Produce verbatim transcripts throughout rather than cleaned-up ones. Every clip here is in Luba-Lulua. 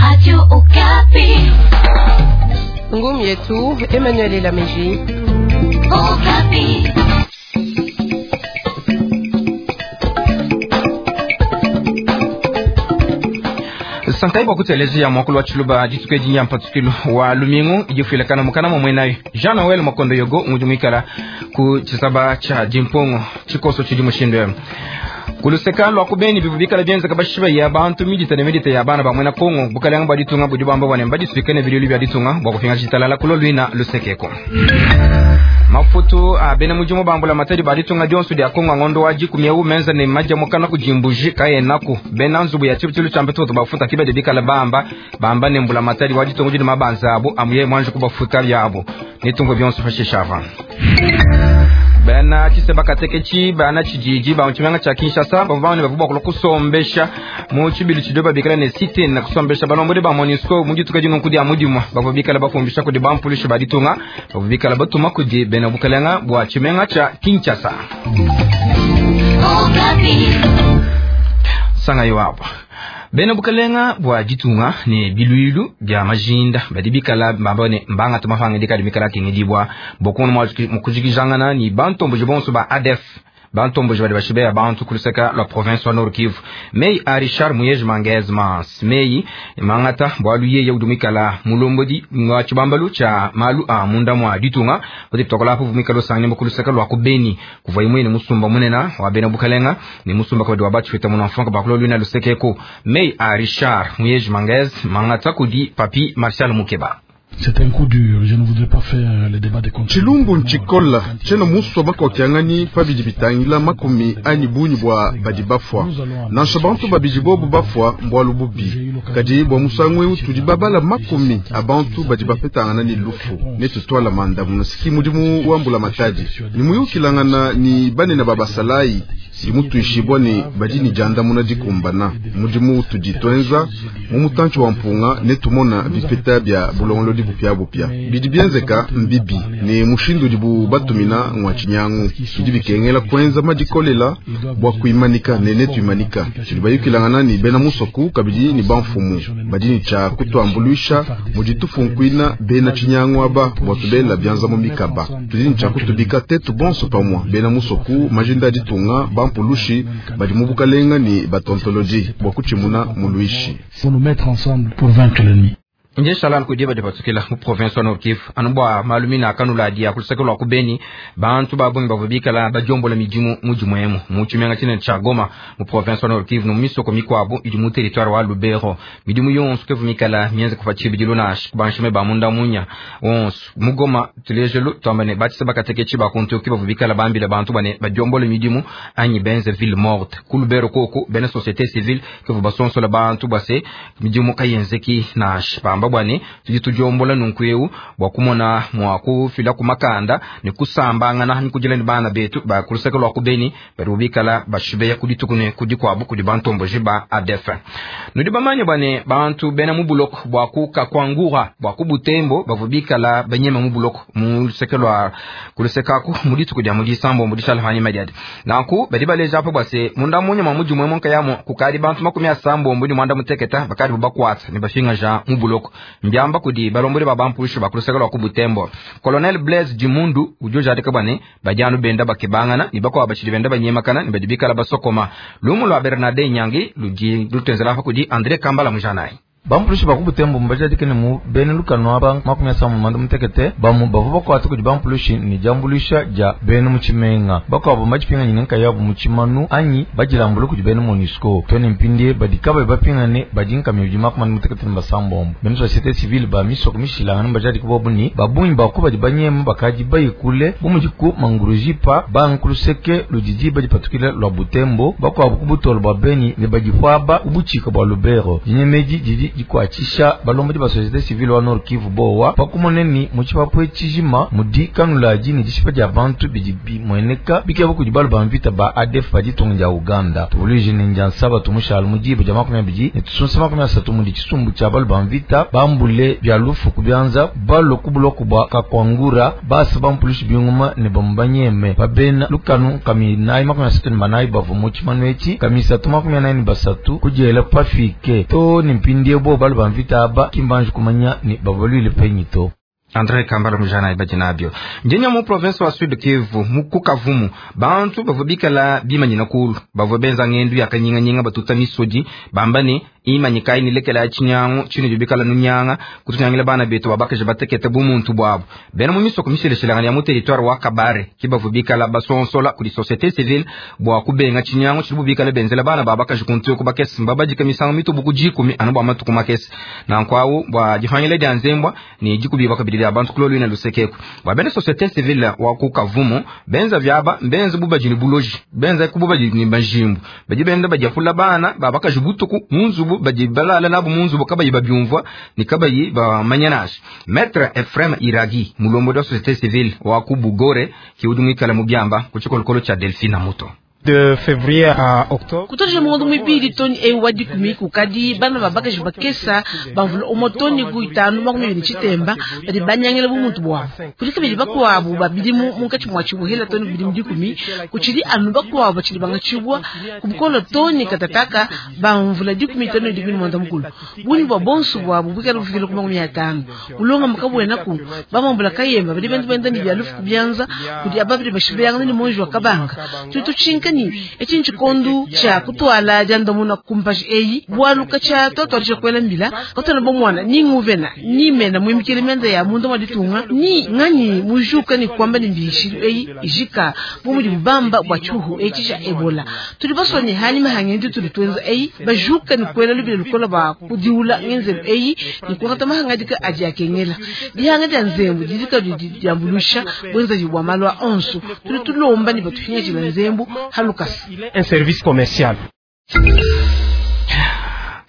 Radio Okapi. Ngumi yetu Emmanuel Elameji. Okapi. Sankai bwa kutelezea mwakulu wa Tshiluba dituku edi nya mpatukilu wa lumingu idifuilakana mukana mwa mwenayo Jean Noel Makondo Yogo ngudi muikala ku tshisaba tshia dimpongo tshikoso tshidi mushindu emu kuluseka lwa kubeni bivu bikala bienzeka bashiba ya bantu midita ne midita ya bana ba mwena Kongo bukalanga bwa ditunga budi bamba bwane mbadisuike ne bilulu bya ditunga bwa kufinga tshitalala kulo lwina lusekeko mafutu a bena mudimu bambula matadi ba ditunga dionso dia Kongo ngondo wa dikumi eu menza ne maja mukana kujimbuji kayenaku bena nzubu ya tshibutilu tshia mbeto bafuta kibede bikala bamba bamba ne mbula matadi wa ditunga didi mabanza abo amuye mwanje kubafuta byabo nitungo bionso fashishava bana tshiseba katekechi bana tshijiji ba mutshimenga tshia Kinshasa bavua bavua bakula kusombesha mu tshibili tshidio babikala ne site na kusombesha balombodi ba MONUSCO mu dituka dino kudi amudimwa bavua bikala bafumbisha kudi bampulishi ba ditunga bavua bikala batuma kudi bena bukalenga bua tshimenga tshia Kinshasa. Sanga iwapo bena bukalenga bua ditunga ne biluilu bia majinda badi bikala bamba ne mbanga tumafanga dikadi mikala kengedibwa bokono mukujikijangana ni bantomboji bonso ba A D F bantomboji badi bashibeya bantu kuluseka la province wa Nord Kivu mei a Richard Muyej Mangez Mans mei mangata bwalu yeye udumikala mulombodi wa tshibambalu tshia malu a munda mwa ditunga badi tokola hapo vumikalo sangane kuluseka lwa kubeni kuva imwe ni musumba munena wa bena bukalenga ni musumba kwa wa bachwita muna mfanka bakulo lwina lusekeko mei a Richard Muyej Mangez mangata kudi papi Martial Mukeba. C'est un coup dur, je ne voudrais pas faire le débat de contre. Tshilumbu ntshikola tshena muswa bakokiangani pabidi bitangila makumi anyi bunyi bwa badi bafwa nansha bantu babidi bobu bafwa mbwalu bubi kadi bwa musangu eu tudi babala makumi abantu badi bapetangana ni lufu netutwala mandamu siki mudimu wambula matadi ni muyukilangana ni banene babasalayi dimutuishibwa ni badi ni jandamuna dikumbana mudimu tudi twenza mu mutantshi wa mpunga netumona bipeta bya bulongolodi bupya bupya bidi bienzeka mbibi ne mushindu dibu batumina ngwa tshinyangu bidi bikengela kwenza madikolela bwa kuimanika ne netuimanika tudi bayukilangana ni bena musoku kabidi ni bamfumu badi ni tshia kutuambuluisha mudi tufunkuina bena tshinyangu aba bwa tubela bianza mu mikaba tudi ni tshia kutubika tetu bonso pamwa bena musoku majinda ditunga bampulushi badi mu bukalenga ni batontoloji bwa kutshimuna muluishi. Pour nous mettre ensemble pour vaincre l'ennemi. Nje shalal kudi badi batsukila mu province wa Nord Kivu anu bwa malumina akanula dia kulusaka lwa kubeni bantu babungi bavua bikala badiombola midimu mudimu emu mu tshimenga tshinene tshia Goma mu province wa Nord Kivu no misoko mikuabu idi mu territoire wa Lubero midimu yonso kevu mikala mienze kufa tshibidilu nashi kubanshime ba munda munya onso mu Goma tulejelu twamba ne batisa bakatekechi bakuntu bavua bikala bambila bantu bane badiombola midimu anyi benze ville morte ku Lubero koku bene société civile kevu basonsola bantu base midimu kayenzeki nashi bamba bwane tudi tudiombola nunku eu bwa kumona mwa kufila kumakanda ne kusambangana ni kujila ni bana betu ba kulusaka lwa kubeni bari bikala bashibeya kuditukune kudikwabu kudi bantomboji ba A D F nudi bamanye bwane bantu bena mu buloko bwa kuka kwangura bwa kubutembo bavubikala banyema mu buloko mu luseke lwa kulusekaku mudituku dia mudisambo mudishala hanyuma madiadi nanku badi baleja apo bwase munda munya mwa mujumwe monka yamo kukali bantu makumi asambo mbudi mwanda muteketa bakali bubakwatsa ne bashinga ja mu buloko mbyamba kudi balombodi ba bampulushu bakulusaka lwa kubutembo Colonel Blaise Dimundu ujoja atika bwane bajanu benda bakebangana ni bakwa bashiri benda banyemakana ni badibikala basokoma lumu lwa Bernarde Nyangi luji lutenzela hapa kudi Andre Kambala mujanai Bampulushi bakubutembo mbajadikene mu bene lukano aba makumi asanu mwanda mutekete bamu bavua bakwata kudi bampulushi ni diambuluisha dia bene mu tshimenga bakuabu mbadipinganyine nkayabu mu tshimanu anyi badilambule kudi bene MONUSCO tone mpindie badi kabayi bapingane badi nkami bidi makumi ane mutekete ne basambombo bene société civile ba misoko mishilangane mbajadike bobu ni babungi baku badi banyema bakadi bayikule bu mudi ku mangurujipa bankuluseke ludidi badipatukile lwa Butembo bakuabu ku butolo bua Beni ne badipwaba ubutshika bua Lubero dinyemedi didi dikuatshisha balombodi ba société civile wa Nord Kivu bowa pakumoneni mu tshipapwe tshijima mudi kanuladi ne dishipa dia bantu bidi bimueneka bikeba kudi balu ba mvita ba A D F ba ditunga dia Uganda tuvuluije ne ndia nsaba tumushala mu diba dia makumi abidi ne tusunsa makumi asatu mudi tshisumbu tshia balu ba mvita bambule bia lufu ku bianza balo ku buloko bua Kakwangura basa bampulushi binguma ne bamubanyeme babena lukanu kami nayi makumi asatu ne banayi bavua mu tshimanu etshi kami isatu makumi anayi ne basatu kudiela pafike to ne mpindiewu Mpindieu bobu balu ba mvita aba ki mbanji kumanya ni babaluile penyi to. Andre Kambala mujana ibadi nabyo njenya mu province wa Sud Kivu mukukavumu bantu bavua bikala bimanyina kulu bavua benza ngendu ya kanyinganyinga batuta misodi bamba ne imanyika inilekela ya chinyangu chino bikala nunyanga kutunyangila bana betu babakaje batekete bumuntu bwabo bena mu misoko misheleshelanga ya mu territoire wa Kabare kibavu bikala basonsola kuli société civile bwa kubenga chinyangu chibu bikala benzela bana babakaje kuntu kubakesi mbabajika misango mitubu kujikumi anu bwa matuku makesi na nkwawu bwa jihangile dia nzembwa ni jikubi bakabili abantu kulolu ina lusekeko wabene société civile wa kukavumu benza vyaba benza bubajini buloji benza kububajini bajimbu baji benda bajafula bana babakaje butuku munzubu baji balala nabo munzubu kabayi babyumvwa ni kabayi bamanyanashi. Maître Ephraim Iragi mulombo wa société civile wa kubugore kiudumikala mubyamba kuchikolokolo cha Delphine Muto de février à octobre kutoja mungondo mwibili toni ewa dikumi kukadi bana babakaji bakesa bamvula omotoni kuitanu makumi abiri chitemba badi banyangela bumuntu bwabo kuli kabili bakwabo babili munkati mwa chibuhela toni bili dikumi kuchili anu bakwabo bachili bangachibwa kubukolo toni katataka bamvula dikumi toni dikumi mwanda mukulu buni bwa bonsu bwabo bukala bufikile ku makumi atano ulonga mukabwena ku bamambula kayemba badi bendu benda ni byalufu kubyanza kudi ababili bashibeyanga ni monji wa kabanga tutuchinka echinchi chikondu cha kutwala jandomuna kumpashi eyi bwaluka cha toto kwela mbila kotona bomwana ni nguvena ni mena mwimikile menda ya mundo maditunga ni ngani mujuka ni kwamba ni mbishi eyi ijika bumuli bamba bwa chuhu echi cha ebola tuli basoni hani mahangendi tuli twenza eyi bajuka ni kwela lubile lukola ba kudiula ngenzelo eyi ni kwata mahangadika aji akengela dihanga dia nzembu didika diambulusha bwenza jibwa malwa onso tuli tulomba ni batufinya jila nzembu Lucas. Un service commercial.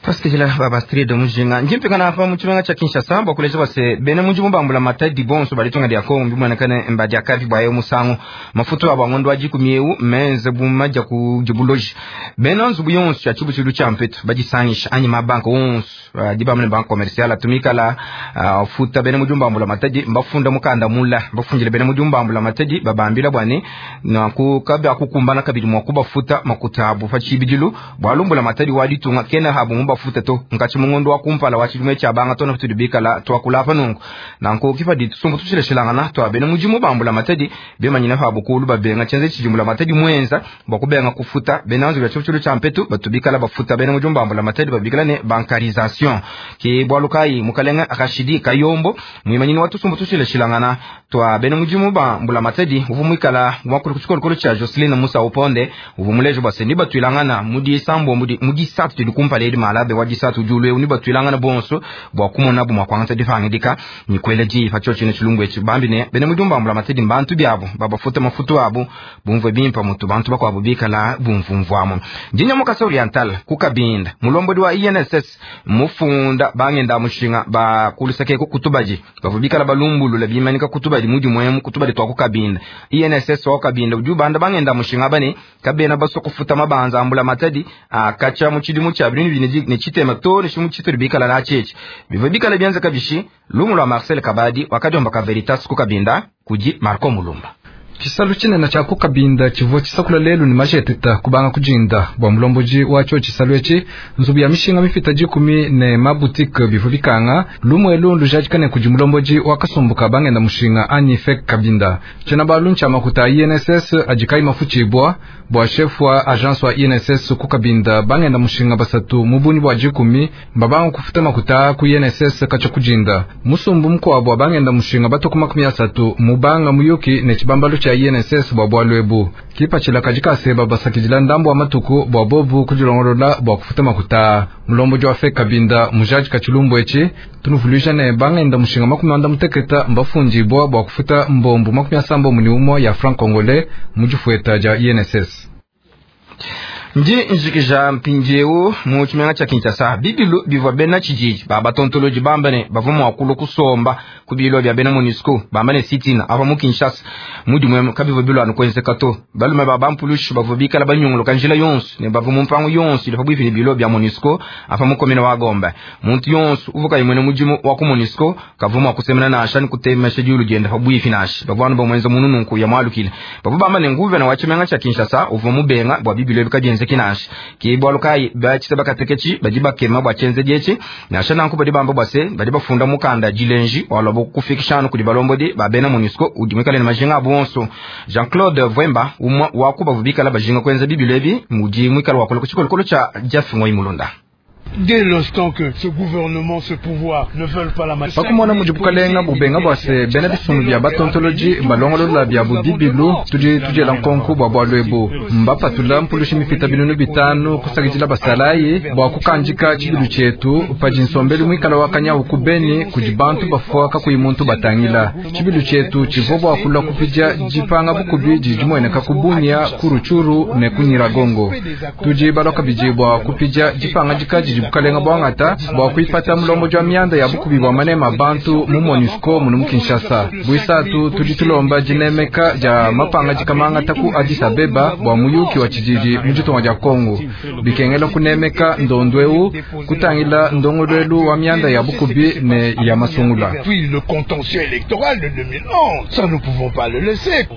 Pasikijila baba street mujinga njimpikana hapa muchimenga cha Kinshasa bakuleja base bene muji mubambula matadi bonso balitunga dia Kongo mbimwanakane mbadi akavi bwayo musango mafuto abangondo ajikumyeu menze bumaja ku jibuloji bene nzubu yonso ya chibu chilu cha mpetu bajisangisha anyi mabanka onso dibamne bank commercial atumika la uh, futa bene muji mubambula matadi mbafunda mukanda mula mbafungile bene muji mubambula matadi babambila bwane na ku kabya kukumbana kabili mwakuba futa makutabu fachibidilu bwalumbula matadi walitunga kena habu mbafuta to nkachi mungondo wakumpala wachilume cha banga tona tutubikala twakulapa nungu nanko kifa ditusumbu tushileshilangana twabene mujimu bambula matadi bemanyina habu kulu babenga chenze chijimbula matadi mwenza bakubenga kufuta benanzu bya chuchulu cha mpetu batubikala bafuta bene mujimu bambula matadi babikala ne bankarisation ke bwalukai mukalenga Rashidi Kayombo mwimanyini watusumbu tushileshilangana twabene mujimu bambula matadi uvumwikala mwakulu kuchikolokolo cha Jocelyn Musa Uponde uvumulejo baseni batwilangana mudi sambo mudi mudi satu tudikumpala edi malabe wadisatu julwe uniba twilangana bonso bwa kumona bu mwakwanga difangidika ni kwele ji fa chochi ne chilungu echi bambi ne bene mudumba mbula matedi mbantu byabo baba futa mafutu abo bumve bimpa mutu bantu bakwabo bikala bumvumvwamo njinya mukasa oriental kukabinda mulombodi wa I N S S mufunda bangenda mushinga ba kulusake kutubaji bavubikala balumbulula bimanika kutubaji mudi mwemu kutubaji twa kukabinda I N S S wa kabinda ujubanda bangenda mushinga bane kabena baso kufuta mabanza ambula matadi akacha muchidimu cha bintu bineji ne chitema to ne shimu chitu bikala na cheche bivo bikala byanza kabishi lumu lwa Marcel Kabadi wakajomba ka Veritas kukabinda kuji Marco Mulumba Chisalu chinene cha kukabinda chivo chisakula lelu ni majeteta kubanga kujinda bwa mulomboji wacho chisalu echi nzubu ya mishinga mifita jikumi ne maboutique bivu bikanga lumwe lundu jajikane kuji mulomboji wakasumbuka bangenda mushinga anyi fek kabinda chena baluncha makuta I N S S ajikai mafuchibwa bwa chef wa agence wa I N S S kukabinda bangenda mushinga basatu mubuni bwa jikumi mbabanga kufuta makuta ku I N S S kacha kujinda musumbu mkwa bwa bangenda mushinga batokuma makumi asatu mubanga muyuki ne chibambalu cha I N S S bwa bwalwebu kipachila kajika seba basakijila ndambo wa matuku bwa bobu kujilongolola bwa kufuta makuta mulombo jwa fe kabinda mujaji kachilumbu echi tunuvuluisha ne bangenda mushinga makumi anda muteketa mbafunji bwa bwa kufuta mbombu makumi asambo muni ya franc congolais mujifueta ja I N S S. Nji njikija mpinjeu mu chimenga cha Kinshasa bibilu bivwa bena chijiji baba tontoloji bambane bavuma wakulu kusomba kubilo bya bena MONUSCO bambane sitina ava mu Kinshasa mudi mwe kabivwa bilo anu kwenze kato balume baba mpulushi bavwa bikala banyungulu kanjila yonso ne bavwa mu mpango yonso ile pabwivi bilo bya MONUSCO ava mu komine wa Gombe muntu yonso uvuka imwene mujimu wa ku MONUSCO kavuma kusemena na ashani kutemesha julu jenda pabwivi nashi bavwa bamwenza munununku ya mwalukile bavwa bambane nguve na wa chimenga cha Kinshasa uva mubenga bwa bibilo bikajenze bienzeki nansha. Ke bualu kayi ba tshiseba kateketshi badi bakema bua tshienzedi etshi. Nansha nanku badi bamba bua se badi bafunda mukanda dilenji walua kufikisha anu kudi balombodi ba bena MONUSCO udi muikale ne majinga abu onso. Jean-Claude Vwemba umwe wa ku bavua bikala bajinga kuenza bibilu ebi mudi muikale wakula ku tshikolokolo tshia Jeff Ngoi Mulunda. Dès l'instant que ce gouvernement, ce pouvoir ne veulent pas la Pakumona mudi bukalenga bubenga bua se bena bisumbu bia batontoloji balongolola bia bubibilu tudi tudiela nkonko bua bualu ebu. Mbapatula mpulushi mipita binunu bitanu kusakidila basalayi bua kukandika tshibilu tshietu padi nsombelu muikala wa kanyawu ku Beni kudi bantu bafua kakuyi muntu batangila. Tshibilu tshietu tshivua bua kulua kupidia dipanga bukubi didi dimueneka ku Bunia, ku Rutshuru ne ku Nyiragongo. Tudi balua kabidi bua kupidia dipangadika didi bukalenga bwangata bua kuipata mulombodi wa mianda ya bukubi bua manema bantu mu MONUSCO munu mu Kinshasa. Buisatu tudi tulomba dinemeka dia mapangadika mangata ku Addis Abeba bua muyuki wa tshididi mu ditunga dia Kongo. Bikengela kunemeka ndondo eu kutangila ndongoluelu wa mianda ya bukubi ne ya masungula. Puis le contentieux électoral de deux mille onze, ça nous pouvons pas le laisser.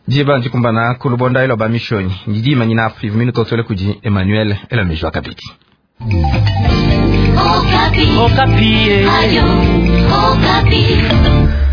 Diba ndikumbana ku lubonda elo ba mishonyi ndidima nyina afivu minutosole kudi Emmanuel Elamejwa kabidi. Okapi. Okapi. Radio Okapi.